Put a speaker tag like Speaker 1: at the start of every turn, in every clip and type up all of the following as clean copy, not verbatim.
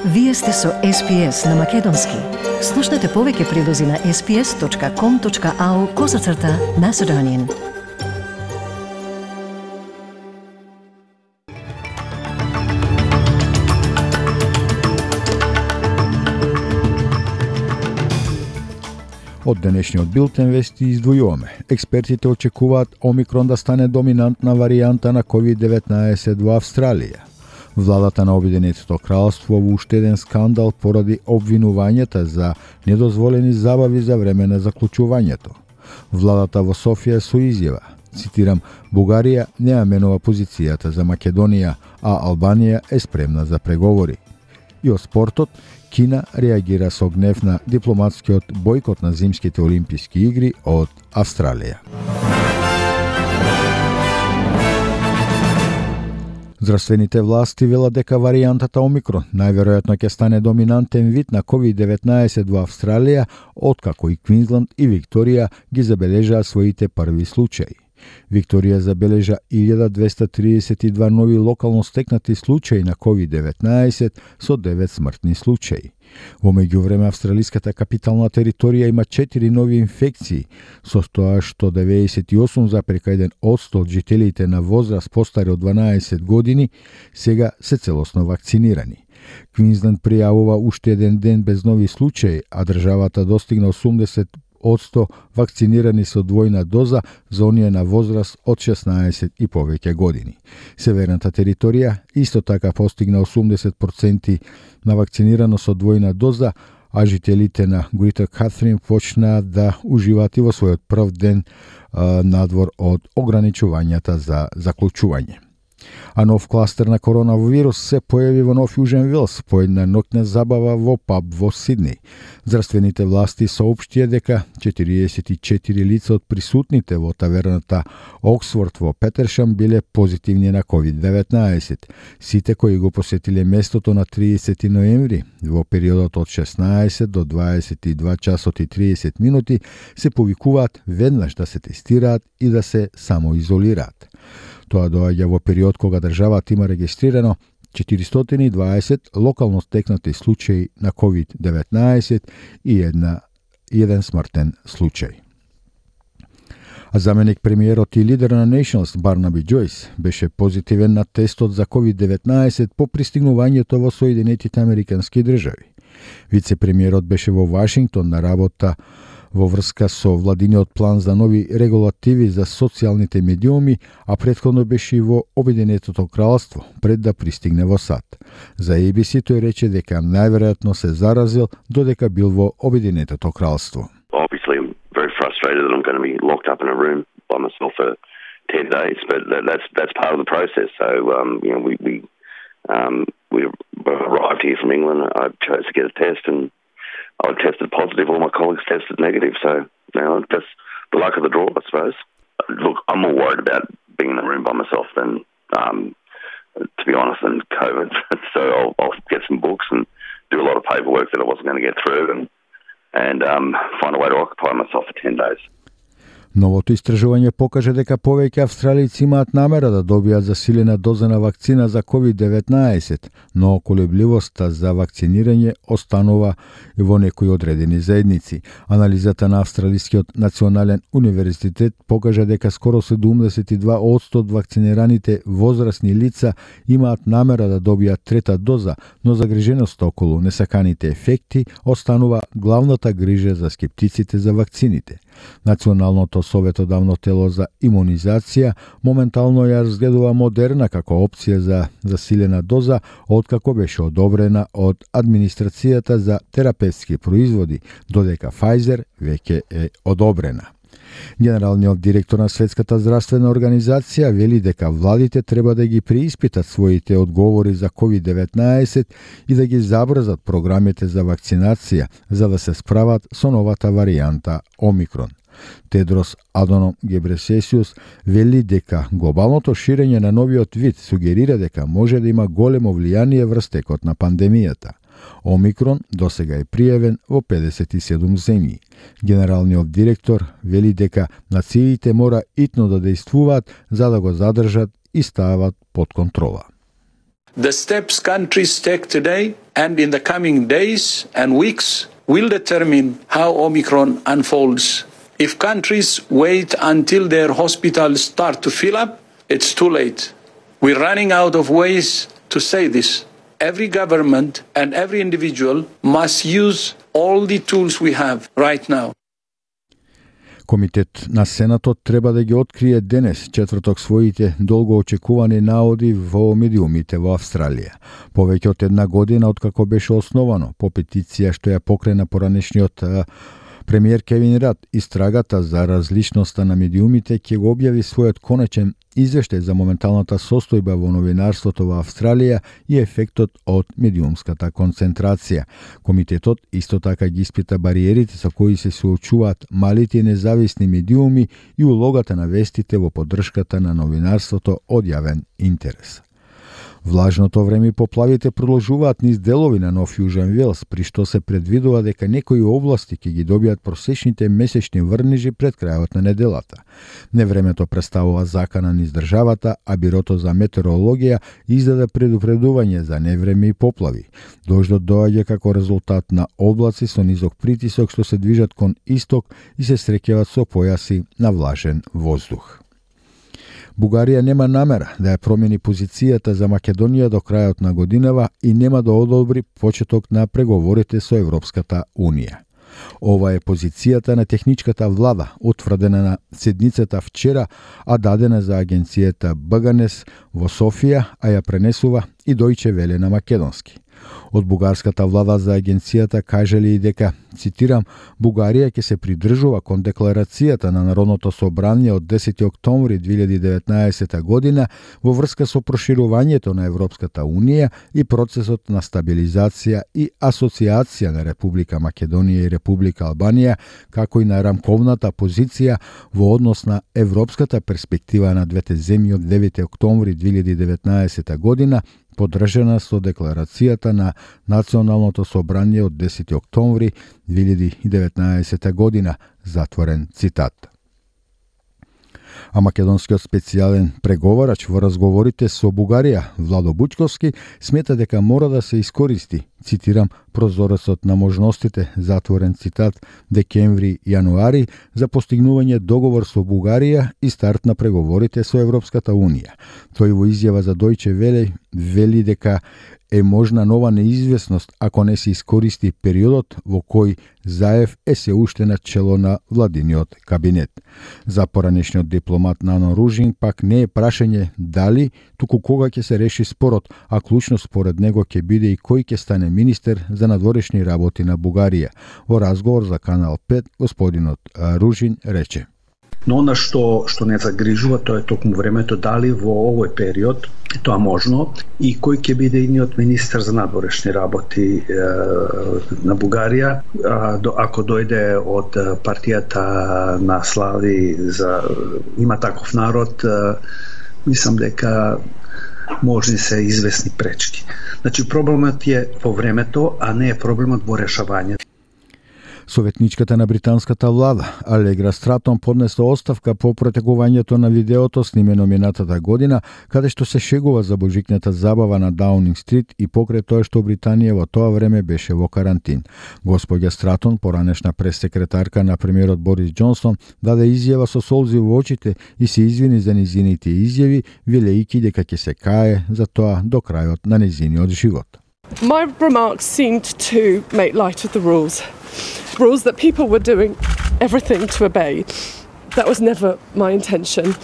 Speaker 1: Вие сте со SPS на Македонски. Слушнете повеќе прилози на sps.com.au/Macedonian.
Speaker 2: Од денешниот билтен вести издвојуваме. Експертите очекуваат Омикрон да стане доминантна варијанта на COVID-19 во Австралија. Владата на Обединетото кралство во уште еден скандал поради обвинувањата за недозволени забави за време на заклучувањето. Владата во Софија со изјава, цитирам, Бугарија не ја менува позицијата за Македонија, а Албанија е спремна за преговори. И од спортот, Кина реагира со гнев на дипломатскиот бојкот на зимските олимписки игри од Австралија. Здравствените власти велат дека варијантата Омикрон најверојатно ќе стане доминантен вид на COVID-19 во Австралија, откако и Квинсланд и Викторија ги забележаа своите први случаи. Викторија забележа 1232 нови локално стекнати случаи на COVID-19 со 9 смртни случаи. Во меѓувреме, австралиската капитална територија има 4 нови инфекции, со тоа што 98,1% од жителите на возраст постари од 12 години сега се целосно вакцинирани. Квинсланд пријавува уште еден ден без нови случаи, а државата достигна 80% вакцинирани со двојна доза за оние на возраст од 16 и повеќе години. Северната територија исто така постигна 80% на вакцинирано со двојна доза, а жителите на Грейтер Катрин почнаа да уживаат и во својот прв ден надвор од ограничувањата за заклучување. А нов кластер на коронавирус се појави во Нов Јужен Велс по една ноќна забава во паб во Сиднеј. Здравствените власти соопштија дека 44 лица од присутните во таверната Оксфорд во Петершам биле позитивни на COVID-19. Сите кои го посетиле местото на 30 ноември во периодот од 16 до 22 часот и 30 минути се повикуваат веднаш да се тестираат и да се самоизолираат. Тоа доаѓа во период кога државата има регистрирано 420 локално стекнати случаи на COVID-19 и еден смртен случај. А заменик премиерот и лидер на Nationals Барнаби Џојс беше позитивен на тестот за COVID-19 по пристигнувањето во Соединетите Американски држави. Вице-премиерот беше во Вашингтон на работа во врска со владиниот план за нови регулативи за социјалните медиуми, а претходно беше и во Обединетото кралство пред да пристигне во САД. За ABC тој рече дека најверојатно се заразил додека бил во Обединетото кралство.
Speaker 3: Obviously, I'm very frustrated that I'm going to be locked up in a room by myself for 10 days, but that's part of the process. So, we arrived here from England. I chose to get a test, and I tested positive. All my colleagues tested negative. So, that's the luck of the draw, I suppose. Look, I'm more worried about being in a room by myself than, to be honest, than COVID. So I'll get some books and do a lot of paperwork that I wasn't going to get through, and find a way to occupy myself for 10 days.
Speaker 2: Новото истражување покаже дека повеќе австралици имаат намера да добијат засилена доза на вакцина за COVID-19, но колебливоста за вакцинирање останува и во некои одредени заедници. Анализата на Австралискиот национален универзитет покажа дека скоро 72% од вакцинираните возрастни лица имаат намера да добијат трета доза, но загриженоста околу несаканите ефекти останува главната грижа за скептиците за вакцините. Националното советодавно тело за имунизација моментално ја разгледува Модерна како опција за засилена доза, откако беше одобрена од администрацијата за терапевтски производи, додека Pfizer веќе е одобрена. Генералниот директор на Светската здравствена организација вели дека владите треба да ги преиспитат своите одговори за COVID-19 и да ги забрзат програмите за вакцинација за да се справат со новата варијанта Омикрон. Тедрос Адоном Гебресесиус вели дека глобалното ширење на новиот вид сугерира дека може да има големо влијание врз текот на пандемијата. Омикрон досега е пријавен во 57 земји. Генералниот директор вели дека нациите мора итно да дејствуваат за да го задржат и стават под контрола.
Speaker 4: The steps countries take today and in the coming days and weeks will determine how Omicron unfolds. If countries wait until their hospitals start to fill up, it's too late. We're running out of ways to say this. Every government and every individual must use all the tools we have right now.
Speaker 2: Комитет на Сенатот треба да ги открие денес, четврток, своите долго очекувани наоди во медиумите во Австралија. Повеќе од една година откако беше основано по петиција што ја покрена поранешниот премиер Кевин Рад, истрагата за различноста на медиумите ќе го објави својот конечен извештај за моменталната состојба во новинарството во Австралија и ефектот од медиумската концентрација. Комитетот исто така ги испита бариерите со кои се соочуваат малите и независни медиуми и улогата на вестите во поддршката на новинарството од јавен интерес. Влажното време и поплавите продолжуваат низ делови на Нов Јужен Велс, при што се предвидува дека некои области ќе ги добијат просечните месечни врнежи пред крајот на неделата. Невремето представува закана низ државата, а Бирото за метеорологија издаде предупредување за невреме и поплави. Дождот доаѓа како резултат на облаци со низок притисок што се движат кон исток и се среќават со појаси на влажен воздух. Бугарија нема намера да ја промени позицијата за Македонија до крајот на годинава и нема да одобри почеток на преговорите со Европската Унија. Ова е позицијата на техничката влада, утврдена на седницата вчера, а дадена за агенцијата БГНЕС во Софија, а ја пренесува и Дојче Веле на македонски. Од бугарската влада за агенцијата кажали и дека, цитирам, Бугарија ќе се придржува кон декларацијата на Народното собрание од 10. октомври 2019 година во врска со проширувањето на Европската Унија и процесот на стабилизација и асоциација на Република Македонија и Република Албанија, како и на рамковната позиција во однос на европската перспектива на двете земји од 9. октомври 2019 година, поддржана со декларацијата на Националното собрание од 10. октомври 2019 година, затворен цитат. А македонскиот специјален преговарач во разговорите со Бугарија, Владо Бучковски, смета дека мора да се искористи, цитирам, прозорецот на можностите, затворен цитат, декември-јануари, за постигнување договор со Бугарија и старт на преговорите со Европската Унија. Тој во изјава за Дојче Веле вели дека е можна нова неизвестност ако не се искористи периодот во кој Заев е се уште на чело на владиниот кабинет. За поранешниот дипломат Нано Ружин пак не е прашање дали, туку кога ќе се реши спорот, а клучно според него ќе биде и кој ќе стане министер за надворешни работи на Бугарија. Во разговор за Канал 5, господинот Ружин рече:
Speaker 5: Но она што не загрижува, тоа е токму времето, дали во овој период тоа можно и кој ќе биде идниот министер за надворешни работи на Бугарија, ако дојде од партијата на Слави за Има таков народ, мислам дека можни се известни пречки. Значи проблемот е во времето, а не е проблемот во решавањето.
Speaker 2: Советничката на британската влада, Алегра Стратон, поднесла оставка по протекувањето на видеото снимено минатата година, каде што се шегува за божикната забава на Даунинг Стрит и покрај тоа што Британија во тоа време беше во карантин. Господја Стратон, поранешна прес-секретарка на премиерот Борис Џонсон, даде изјава со солзи во очите и се извини за незините изјави, велејќи дека ќе се кае за тоа до крајот на незиниот живот.
Speaker 6: My remarks seemed to make light of the rules that people were doing everything to obey. That was never my intention.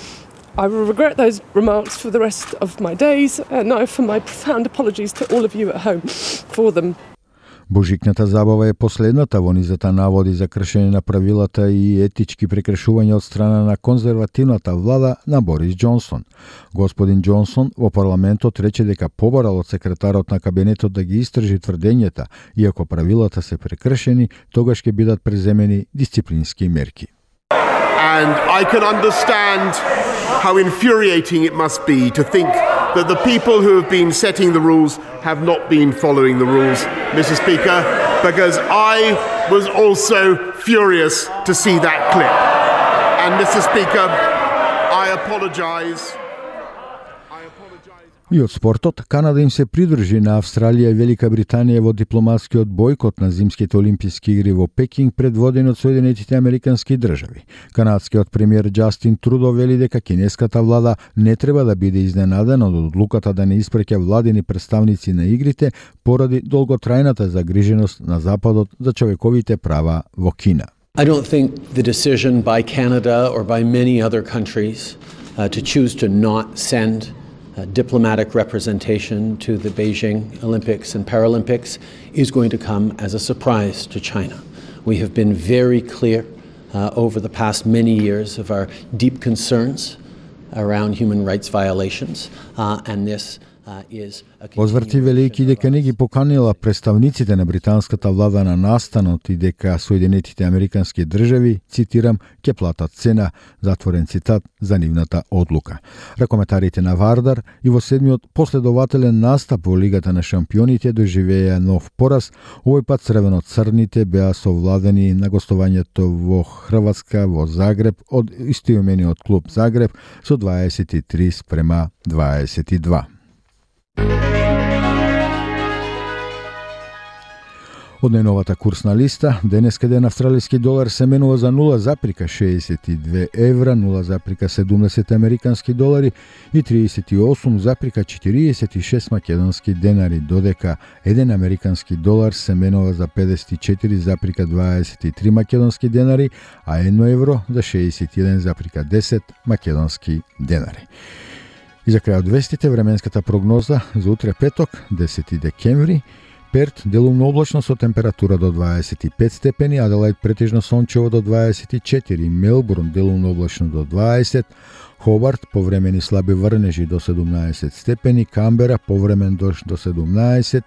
Speaker 6: I will regret those remarks for the rest of my days, and I offer my profound apologies to all of you at home for them.
Speaker 2: Божикната забава е последната во низата наводи за кршење на правилата и етички прекршувања од страна на конзервативната влада на Борис Џонсон. Господин Џонсон во парламентот рече дека побарал од секретарот на кабинетот да ги истражи тврдењата и ако правилата се прекршени, тогаш ќе бидат преземени дисциплински мерки.
Speaker 7: And I can understand how infuriating it must be to think that the people who have been setting the rules have not been following the rules, Mr. Speaker, because I was also furious to see that clip. And Mr. Speaker, I apologise.
Speaker 2: И од спортот, Канада им се придружи на Австралија и Велика Британија во дипломатскиот бојкот на зимските олимписки игри во Пекинг предводени од Соединетите Американски држави. Канадскиот премиер Џастин Трудо вели дека кинеската влада не треба да биде изненадена од одлуката да не испраќа владини представници на игрите поради долготрајната загриженост на Западот за човековите права во Кина.
Speaker 8: I don't think the decision by Canada or by many other countries to choose to not send diplomatic representation to the Beijing Olympics and Paralympics is going to come as a surprise to China. We have been very clear over the past many years of our deep concerns around human rights violations, and this is a
Speaker 2: Возврти велики дека не ги поканила представниците на британската влада на настанот и дека Соединетите Американски држави, цитирам, ќе платат цена, затворен цитат, за нивната одлука. Ракометарите на Вардар и во седмиот последователен настап во Лигата на шампионите доживеа нов пораз, овој пат црвено-црните беа совладени на гостувањето во Хрватска во Загреб од истоимениот клуб Загреб со 23-22. Од најновата курсна листа, денеска ден австралиски долар се менува за 0,62 евра, 0,70 американски долари и 38,46 македонски денари, додека 1 американски долар се менува за 54,23 македонски денари, а 1 евро за 61,10 македонски денари. И за крај од вестите, временската прогноза за утре петок, 10 декември, Перт делумно облачно со температура до 25 степени, Аделајд претежно сончево до 24, Мелбурн делумно облачно до 20, Хобарт повремени слаби врнежи до 17 степени, Камбера повремен дожд до 17,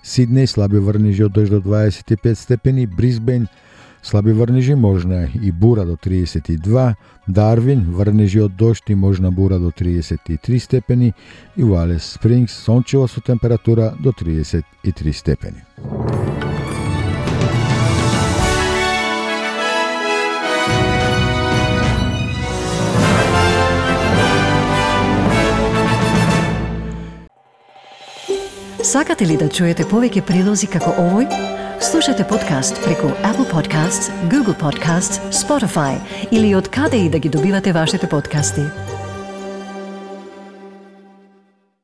Speaker 2: Сиднеј слаби врнежи од дожд до 25 степени, Брисбејн слаби врнежи можна и бура до 32, Дарвин врнежи од дожд и можна бура до 33 степени и во Алис Спрингс сончево со температура до 33 степени.
Speaker 1: Сакате ли да чуете повеќе прилози како овој? Слушате подкаст преку Apple Podcasts, Google Podcasts, Spotify или од каде и да ги добивате вашите подкасти.